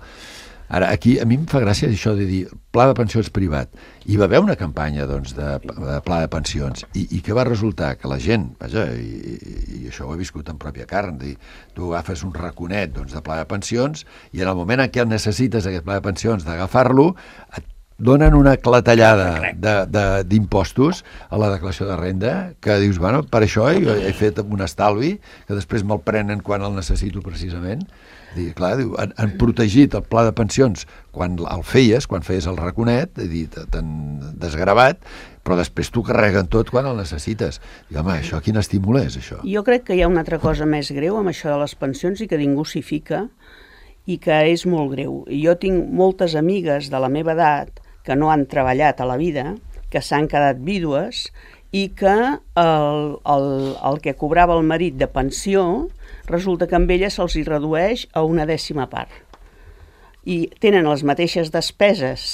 Ara, aquí a mi em fa gràcia això de dir pla de pensions privat. Hi va haver una campanya doncs, de, de pla de pensions i, i què va resultar? Que la gent, vaja, i, i això ho he viscut en pròpia carn, dir, tu agafes un raconet doncs, de pla de pensions i en el moment en què necessites aquest pla de pensions d'agafar-lo, et donen una clatellada de- de- d'impostos a la declaració de renda que dius, bueno, per això he, he fet un estalvi que després me'l prenen quan el necessito precisament. Dir, clar, diu, han, han protegit el pla de pensions quan el feies, quan feies el raconet, dir, t'han desgravat, però després t'ho carreguen tot quan el necessites. I, home, això quin estímul és, això? Jo crec que hi ha una altra cosa més greu amb això de les pensions i que ningú s'hi fica i que és molt greu. Jo tinc moltes amigues de la meva edat que no han treballat a la vida, que s'han quedat vídues i que el, el, el que cobrava el marit de pensió resulta que amb ella se'ls hi redueix a una dècima part. I tenen les mateixes despeses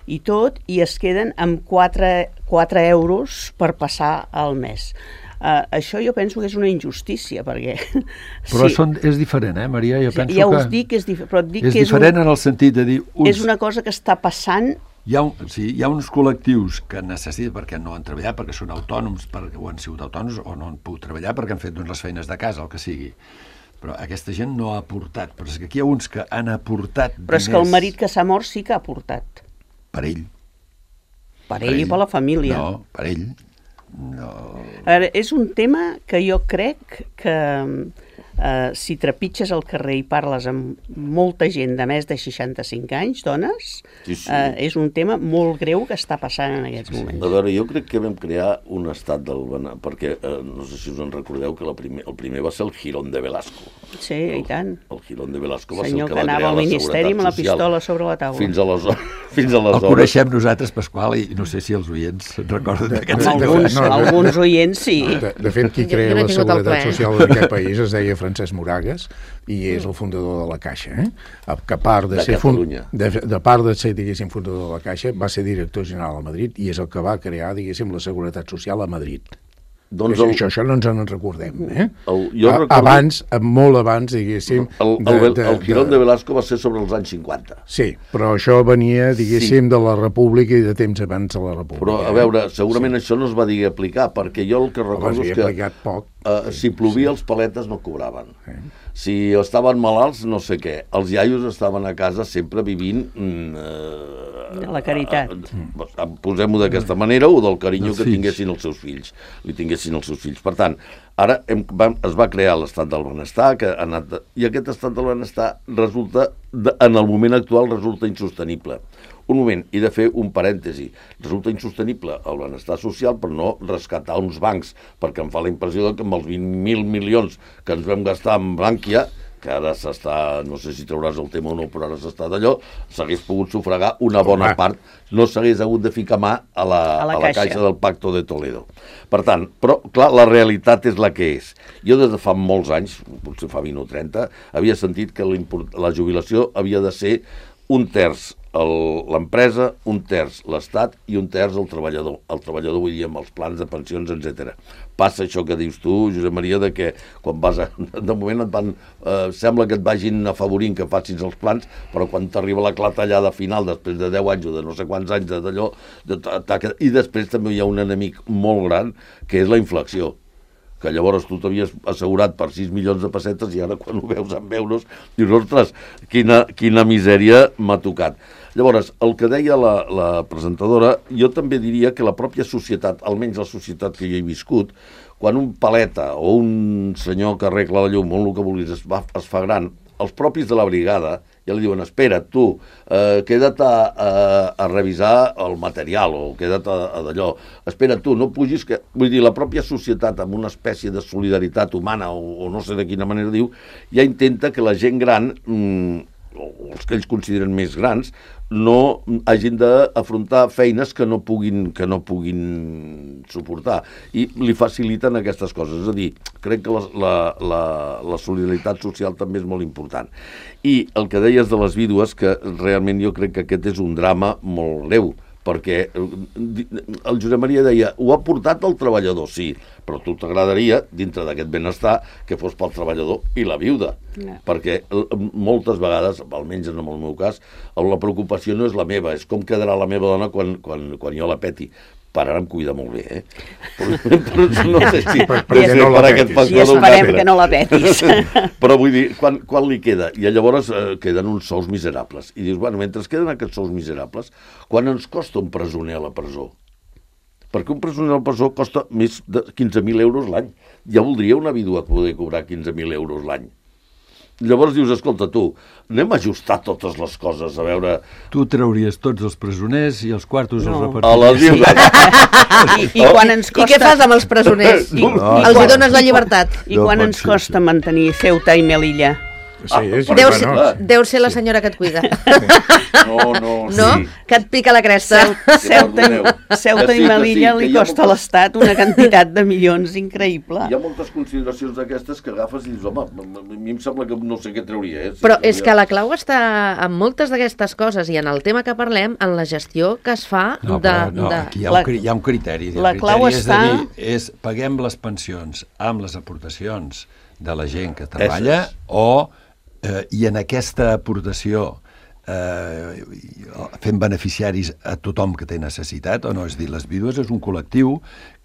i tot, i es queden amb quatre euros per passar al mes. Uh, això jo penso que és una injustícia, perquè... Però sí, són, és diferent, eh, Maria? Jo penso ja que us dic que és diferent, però et dic és que és, diferent un, en el sentit de dir... Uns, és una cosa que està passant. hi, ha un, sí, hi ha uns col·lectius que necessiten perquè no han treballat, perquè són autònoms, perquè o han sigut autònoms, o no han pogut treballar perquè han fet doncs, les feines de casa, el que sigui. Però aquesta gent no ha aportat. Però és que aquí hi ha uns que han aportat Però és que el marit que s'ha mort sí que ha aportat. Per ell. Per ell i per la família. No, per ell. No. A veure, és un tema que jo crec que eh, si trepitges al carrer i parles amb molta gent de més de seixanta-cinc anys, dones, Sí, sí. eh, és un tema molt greu que està passant en aquests moments. A veure, jo crec que vam crear un estat del benestar, perquè eh, no sé si us en recordeu que la primer, el primer va ser el Girón de Velasco. Sí, i tant. El Girón de Velasco va Senyor ser el que que va anava crear al la Ministeri amb la Seguretat Social. pistola sobre la taula. Fins aleshores... Fins El aleshores coneixem nosaltres, Pasqual, i no sé si els oients recorden d'aquest senyor. Alguns, No, no, no. alguns oients sí. De, de fet, qui Jo- crea jo no he la tingut el Seguretat plaer. Social en aquest país es deia Francesc Moragues i és el fundador de la Caixa. Eh? Que a part de, De ser fun- Catalunya. de, de part de ser, diguéssim, fundador de la Caixa, va ser director general a Madrid i és el que va crear, diguéssim, la Seguretat Social a Madrid. doncs Això, el, això, això no ens en recordem, eh? El- jo A- recordo- Abans, molt abans, diguéssim... el, el, el, el Girón de Velasco va ser sobre els anys cinquanta. Sí, però això venia, diguéssim, sí. de la República i de temps abans de la República. Però, a veure, segurament sí. això no es va dir aplicar, perquè jo el que Home, recordo s'havia és que aplicat poc. Uh, si plovia, els paletes no cobraven. Si estaven malalts, no sé què. Els iaios estaven a casa sempre vivint... Mm, uh, De la caritat. Uh, uh, Posem-ho d'aquesta manera, o del carinyo Els que fills. tinguessin els seus fills. Li tinguessin els seus fills. Per tant, ara hem, va, es va crear l'estat del benestar, que ha anat de, i aquest estat del benestar resulta, de, en el moment actual, resulta insostenible. Un moment, i de fer un parèntesi. Resulta insostenible el benestar social per no rescatar uns bancs, perquè em fa la impressió que amb els vint mil milions que ens vam gastar en Bànquia, que ara s'està, no sé si trauràs el tema o no, però ara s'està d'allò, s'hagués pogut sufragar una bona part, no s'hagués hagut de ficar mà a la, A la a la caixa. caixa del Pacto de Toledo. Per tant, però, clar, la realitat és la que és. Jo des de fa molts anys, potser fa vint o trenta, havia sentit que la jubilació havia de ser un terç l'empresa, un terç l'Estat i un terç el treballador. El treballador, vull dir, amb els plans de pensions, etcètera. Passa això que dius tu, Josep Maria, de que quan vas a... De moment et van... Eh, sembla que et vagin afavorint que facis els plans, però quan t'arriba la clatellada final, després de deu anys o de no sé quants anys d'allò, i després també hi ha un enemic molt gran, que és la inflació, que llavors tu t'havies assegurat per sis milions de pessetes i ara quan ho veus en euros dius, ostres, quina, quina misèria m'ha tocat. Llavors, el que deia la, la presentadora, jo també diria que la pròpia societat, almenys la societat que jo he viscut, quan un paleta o un senyor que arregla la llum o el que vulguis es, va, es fa gran, els propis de la brigada ja li diuen, espera, tu, eh, queda't a, a, a revisar el material o queda't a, a d'allò, espera, tu, no pugis, que... Vull dir, la pròpia societat amb una espècie de solidaritat humana o, o no sé de quina manera diu, ja intenta que la gent gran, mmm, o els que ells consideren més grans, no hagin d'afrontar feines que no puguin que no puguin suportar. I li faciliten aquestes coses. És a dir, crec que la, la, la, la solidaritat social també és molt important. I el que deies de les vídues, que realment jo crec que aquest és un drama molt greu, perquè el Josep Maria deia, ho ha portat el treballador, sí, però a tu t'agradaria, dintre d'aquest benestar, que fos pel treballador i la viuda. No. Perquè moltes vegades, almenys en el meu cas, la preocupació no és la meva, és com quedarà la meva dona quan, quan, quan jo la peti. Per ara em cuida molt bé, eh? Però, però no sé si... Per, per, per, no per aquest I esperem que no la petis. Però vull dir, quan, quan li queda? I llavors eh, queden uns sous miserables. I dius, bueno, mentre queden aquests sous miserables, quan ens costa un presoner a la presó? Perquè un presoner a la presó costa més de quinze mil euros l'any. Ja voldria una vídua poder cobrar quinze mil euros l'any. Llavors dius, escolta, tu, anem a ajustar totes les coses, a veure... Tu trauries tots els presoners i els quartos no. els repartiries. A la viuda. I, i, quan ens costa... I què fas amb els presoners? I, no, i, els quan... hi dones la llibertat? I No quan pot ens ser costa això. mantenir Ceuta i Melilla? Sí, és, Deu, bueno, ser, deu ser la senyora que et cuida. No, no, No? sí. Que et pica la cresta. Ceuta, Ceuta Que sí, i que Melilla sí, que li hi ha costa a moltes- l'Estat una quantitat de milions increïble. Hi ha moltes consideracions d'aquestes que agafes i dius, home, a mi em sembla que no sé què trauria, eh? Si Però trauria- és que la clau està en moltes d'aquestes coses i en el tema que parlem, en la gestió que es fa No, de... però no, de... aquí hi ha, un, La- cri- hi ha un criteri. la El clau criteri és està- de dir, és paguem les pensions amb les aportacions de la gent que treballa Esses. o, eh, i en aquesta aportació eh, fent beneficiaris a tothom que té necessitat, o no? És a dir, les vídues és un col·lectiu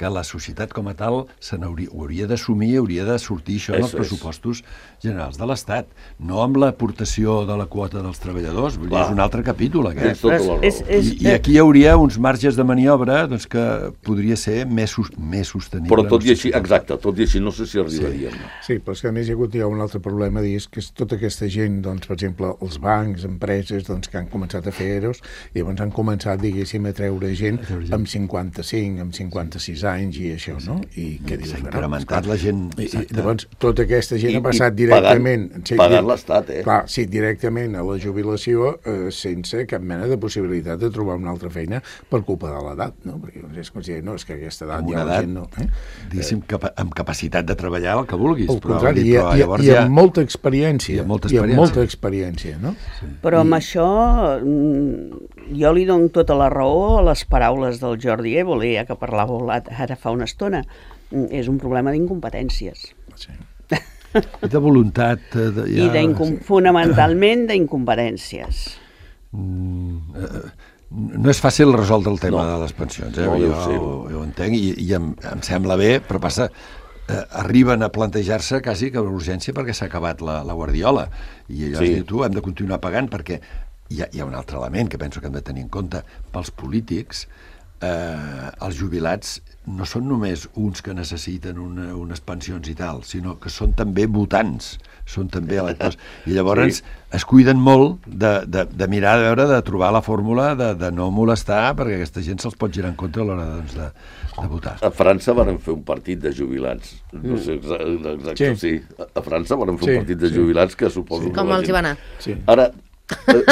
que la societat com a tal se n'hauria hauria d'assumir, hauria de sortir això en els Eso és. pressupostos generals de l'Estat, no amb l'aportació de la quota dels treballadors, vull dir, Clar. és un altre capítol Tens aquest. tota la raó. És- és- I, I aquí hi hauria uns marges de maniobra doncs, que podria ser més, sus- més sostenible. Però tot no i sé així, si pot- exacte, tot i així no sé si arribaríem. Sí, però és que a més hi ha hagut ja un altre problema, és que és tota aquesta gent, doncs, per exemple, els bancs, empreses, doncs, que han començat a fer eros, i llavors han començat, diguéssim, a treure gent A treure gent. amb cinquanta-cinc, amb cinquanta-sis anys i això, no? I què dius? S'ha Bueno, incrementat esclar, la gent, I, i exacte. llavors, tota aquesta gent I- ha passat i directament... pagant- sí, pagant di- l'Estat, eh? Clar, sí, directament a la jubilació eh, sense cap mena de possibilitat de trobar una altra feina per culpa de l'edat, no? Perquè doncs, és com si, no, és que aquesta edat Amb ja una la edat, gent no... Eh? diguéssim, capa amb capacitat de treballar el que vulguis. Al però, contrari, vull dir, i, però i, llavors i ja... amb molta experiència. I amb molta I amb experiència. molta experiència, no? Però amb això mm, jo li dono tota la raó a les paraules del Jordi Évole, ja que parlàveu ara fa una estona. Mm, És un problema d'incompetències. Sí. I de voluntat... eh, De, I d'incom- fonamentalment d'incompetències. Mm, eh, no és fàcil resoldre el tema No. de les pensions, eh? No, jo, deu ser. ho, jo ho entenc i, i em, em sembla bé, però passa, eh, arriben a plantejar-se quasi que l'urgència perquè s'ha acabat la, la guardiola i allò Sí. es diu, tu, hem de continuar pagant perquè hi ha, hi ha un altre element que penso que hem de tenir en compte pels polítics. eh, els jubilats no són només uns que necessiten una, unes pensions i tal, sinó que són també votants, són també electors. I llavors sí. es cuiden molt de, de, de mirar, de veure, de trobar la fórmula de, de no molestar, perquè aquesta gent se'ls pot girar en contra a l'hora doncs, de, de votar. A França van fer un partit de jubilats. No sé exacte, sí. sí. A França van fer sí, un partit de jubilats que suposo... Sí. Que Com els hi va anar? Sí. Ara,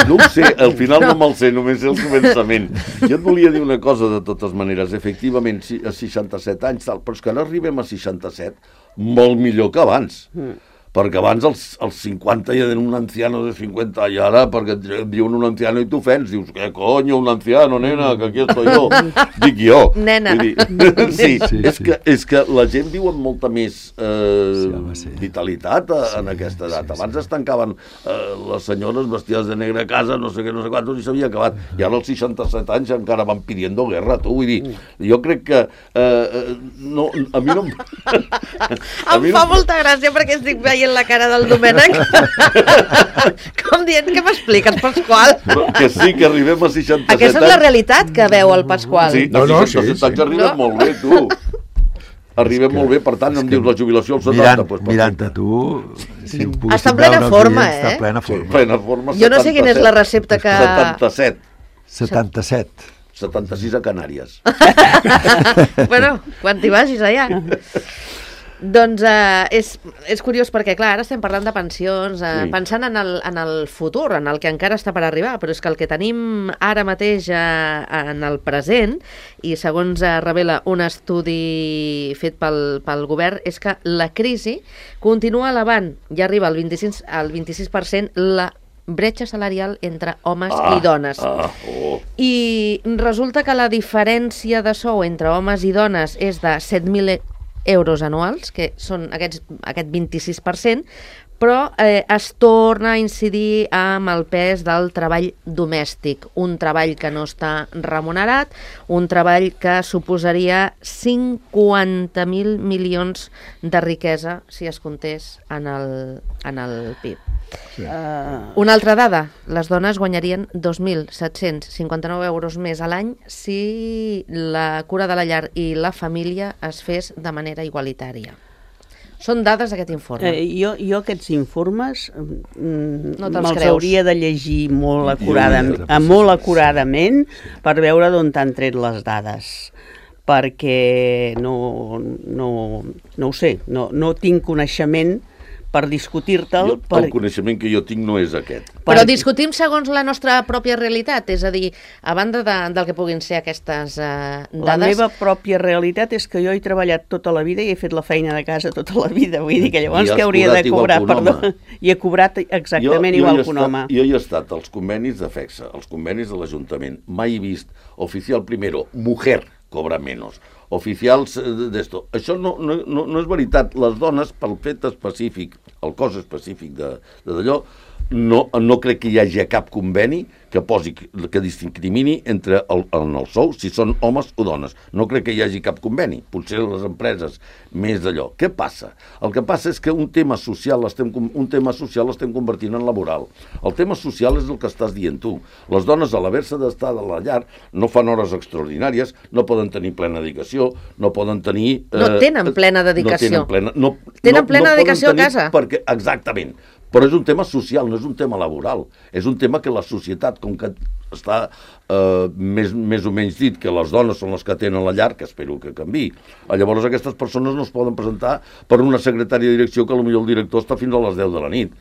no ho sé, al final no, no me'l sé, només sé el començament. Jo et volia dir una cosa de totes maneres, efectivament, a seixanta-set anys, tal, però és que ara arribem a seixanta-set molt millor que abans. Mm. Perquè abans als, als cinquanta hi havia un anciano de cinquanta i ara perquè et diuen un anciano i t'ofens, dius, què coño, un anciano, nena, que aquí estoy jo. Dic jo. Nena. Dir, sí, sí, és, sí. Que, és que la gent viu amb molta més eh, sí, home, sí. vitalitat a, sí, en aquesta edat. Sí, abans sí. es tancaven eh, les senyores vestides de negre a casa, no sé què, no sé quantos, i s'havia acabat. I ara als seixanta-set anys encara van pidiendo guerra, tu. Vull dir, jo crec que eh, no, a mi no... a em mi fa no... molta gràcia perquè estic veient la cara del Domènec com dient, què m'expliques, Pasqual? Però que sí, que arribem a seixanta-set anys. Aquesta és la realitat que veu el Pasqual. Sí, no, no, a seixanta-set sí, anys sí. arribem no? molt bé, tu. Arribem que, molt bé, per tant, em dius la jubilació als setanta. Mirant, pues, mirant a tu... Si està en plena forma, eh? Està en plena forma. Sí, plena forma, jo no sé quina és la recepta que... setanta-set. setanta-set. setanta-sis a Canàries. Bueno, quan t'hi vagis allà. Doncs uh, és, és curiós perquè, clar, ara estem parlant de pensions, uh, sí. pensant en el, en el futur, en el que encara està per arribar, però és que el que tenim ara mateix uh, en el present, i segons uh, revela un estudi fet pel, pel govern, és que la crisi continua elevant, ja arriba al vint-i-sis, al vint-i-sis per cent la bretxa salarial entre homes ah, i dones. Ah, oh. I resulta que la diferència de sou entre homes i dones és de set mil euros anuals, que són aquests, aquest vint-i-sis per cent, però eh, es torna a incidir amb el pes del treball domèstic, un treball que no està remunerat, un treball que suposaria cinquanta mil milions de riquesa si es comptés en el, en el P I B. Sí. Uh... Una altra dada, les dones guanyarien dos mil set-cents cinquanta-nou euros més a l'any si la cura de la llar i la família es fes de manera igualitària. Són dades d'aquest informe. Eh, jo, jo aquests informes mm, no me'ls hauria de llegir molt, acurada, molt acuradament per veure d'on t'han tret les dades, perquè no, no, no ho sé, no, no tinc coneixement per discutir-te'l. Per... El coneixement que jo tinc no és aquest. Però per... discutim segons la nostra pròpia realitat, és a dir, a banda de, del que puguin ser aquestes uh, dades... La meva pròpia realitat és que jo he treballat tota la vida i he fet la feina de casa tota la vida, vull dir que llavors que hauria de cobrar, perdó, i he cobrat exactament jo, jo igual que un home. Jo he estat als convenis de FEXA, als convenis de l'Ajuntament, mai he vist oficial primero, mujer cobra menos, oficials d'esto. Això no, no, no és veritat. Les dones, pel fet específic, el cos específic d'allò, no, no crec que hi hagi cap conveni que posi, que discrimini entre el, en el sou si són homes o dones. No crec que hi hagi cap conveni. Potser les empreses més d'allò. Què passa? El que passa és que un tema social l'estem un tema social l'estem convertint en laboral. El tema social és el que estàs dient tu. Les dones, a l'haver-se d'estar a la llar, no fan hores extraordinàries, no poden tenir plena dedicació, no poden tenir... Eh, no tenen plena dedicació. No tenen plena, no, tenen no, plena no dedicació a casa. Perquè, exactament. Però és un tema social, no és un tema laboral. És un tema que la societat, com que està eh, més, més o menys dit que les dones són les que tenen la llar, que espero que canviï, llavors aquestes persones no es poden presentar per una secretària de direcció que potser el director està fins a les deu de la nit.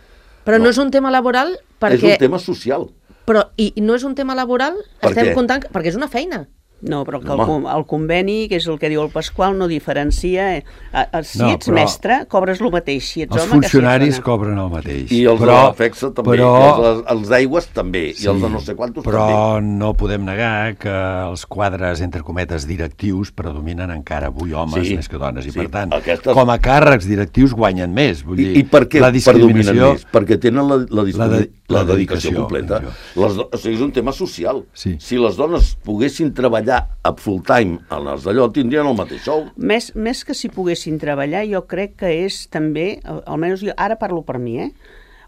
Però no, no és un tema laboral perquè... És un tema social. Però, i no és un tema laboral? Per Estem què? Comptant... Perquè és una feina. No, però que el, el conveni, que és el que diu el Pasqual, no diferencia. Eh, si no, ets mestre, cobres el mateix. Si ets els home, funcionaris que si cobren el mateix. I els però, de la FEXA també, però, i els, els d'aigües també, sí, i els de no sé quantos però també. Però no podem negar que els quadres, entre cometes, directius predominen encara avui homes sí, més que dones. I sí, per tant, aquestes... com a càrrecs directius guanyen més. Vull dir, I, I per què la discriminació... predominen més? Perquè tenen la, la, la, de, la, la dedicació completa. Les do... O sigui, és un tema social. Sí. Si les dones poguessin treballar a full time en els d'allò, tindrien el mateix sou. Més, més que si poguessin treballar, jo crec que és també, almenys jo ara parlo per mi, eh?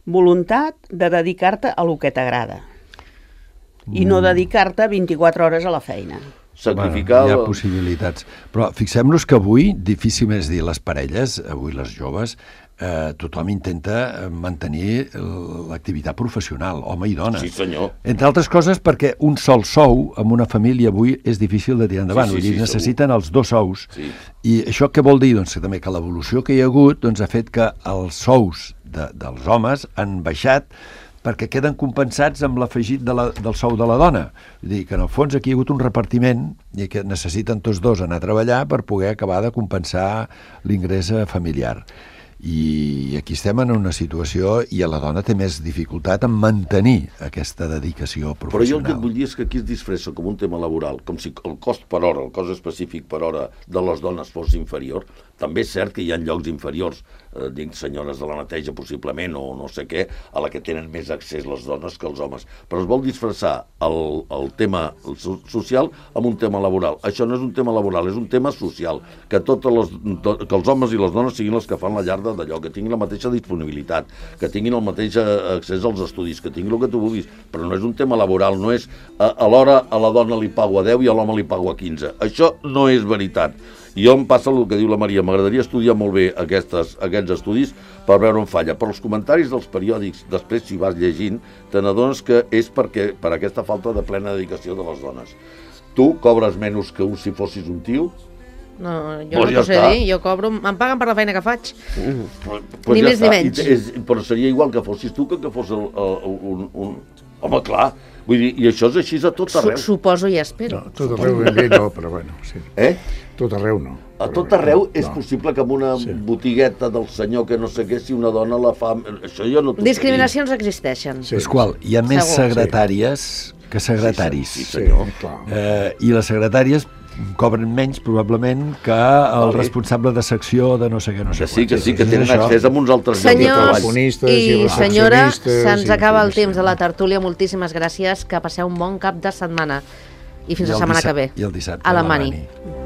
voluntat de dedicar-te a lo que t'agrada. Mm. I no dedicar-te vint-i-quatre hores a la feina. sacrificar... Bueno, hi ha possibilitats. Però fixem-nos que avui, difícilment és dir, les parelles, avui les joves, eh, tothom intenta mantenir l'activitat professional, home i dona. Sí, senyor. Entre altres coses perquè un sol sou en una família avui és difícil de tirar endavant. Sí, sí, Vull dir, sí, necessiten segur. els dos sous. Sí. I això què vol dir? Doncs que també que l'evolució que hi ha hagut doncs, ha fet que els sous de, dels homes han baixat perquè queden compensats amb l'afegit de la, del sou de la dona. Vull dir que en el fons aquí hi ha hagut un repartiment i que necessiten tots dos anar a treballar per poder acabar de compensar l'ingrés familiar. I aquí estem en una situació i la dona té més dificultat en mantenir aquesta dedicació professional. Però jo el que et vull dir és que aquí es disfressa com un tema laboral, com si el cost per hora, el cost específic per hora de les dones fos inferior. També és cert que hi ha llocs inferiors, eh, dic senyores de la neteja possiblement, o no sé què, a la que tenen més accés les dones que els homes. Però es vol disfressar el, el tema social amb un tema laboral. Això no és un tema laboral, és un tema social. Que, totes les, to, que els homes i les dones siguin les que fan la llar d'allò, que tinguin la mateixa disponibilitat, que tinguin el mateix accés als estudis, que tinguin el que tu vulguis. Però no és un tema laboral, no és a, a l'hora a la dona li pago a deu i a l'home li pago a quinze. Això no és veritat. I jo em passa el que diu la Maria, m'agradaria estudiar molt bé aquestes, aquests estudis per veure on falla. Però els comentaris dels periòdics, després si vas llegint, te n'adones que és perquè, per aquesta falta de plena dedicació de les dones. Tu cobres menys que un si fossis un tio? No, jo Pues no ja t'ho sé està. dir, jo cobro, em paguen per la feina que faig. Mm. Pues Ni ja més ni està. menys. I, és, però seria igual que fossis tu que que fos el, el, un, un... Home, clar, vull dir, i això és així a tot arreu. Su Suposo i espero. No, tot arreu ben bé no, però bueno, sí. Eh? Tot arreu no. A Però tot bé, arreu és no. possible que amb una Sí. botigueta del senyor que no sé què, si una dona la fa... Això jo no t'ho sé dir. Discriminacions existeixen. Sí. Pasqual, hi ha més Segur. secretàries que secretaris. Sí, sí, senyor. Sí, clar. Eh, I les secretàries cobren menys, probablement, que el Vale. responsable de secció de no sé què, no sé Que sí, que quants. sí, que És tenen això. accés a uns altres llocs de Senyors treball. telefonistes i i senyora, recepcionistes se'ns i- acaba el sí, temps sí. de la tertúlia. Moltíssimes gràcies, que passeu un bon cap de setmana. I fins I la el setmana dissab- que ve. i el dissabte a la a la Mani. Mani.